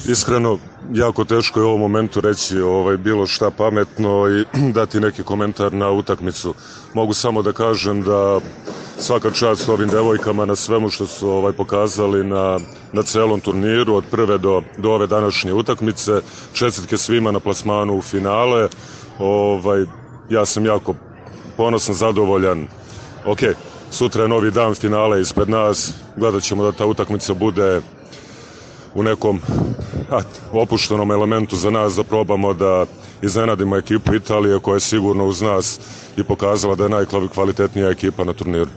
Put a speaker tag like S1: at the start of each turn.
S1: Iskreno, jako teško je u ovom momentu reći bilo šta pametno i dati neki komentar na utakmicu. Mogu samo da kažem da svaka čast ovim devojkama na svemu što su pokazali na celom turniru, od prve do ove današnje utakmice. Čestitke svima na plasmanu u finale. Ja sam jako ponosan, zadovoljan. Ok, sutra je novi dan, finale ispred nas. Gledat ćemo da ta utakmica bude u nekom opuštenom elementu za nas, da probamo da iznenadimo ekipu Italije, koja je sigurno uz nas i pokazala da je najkvalitetnija ekipa na turniru.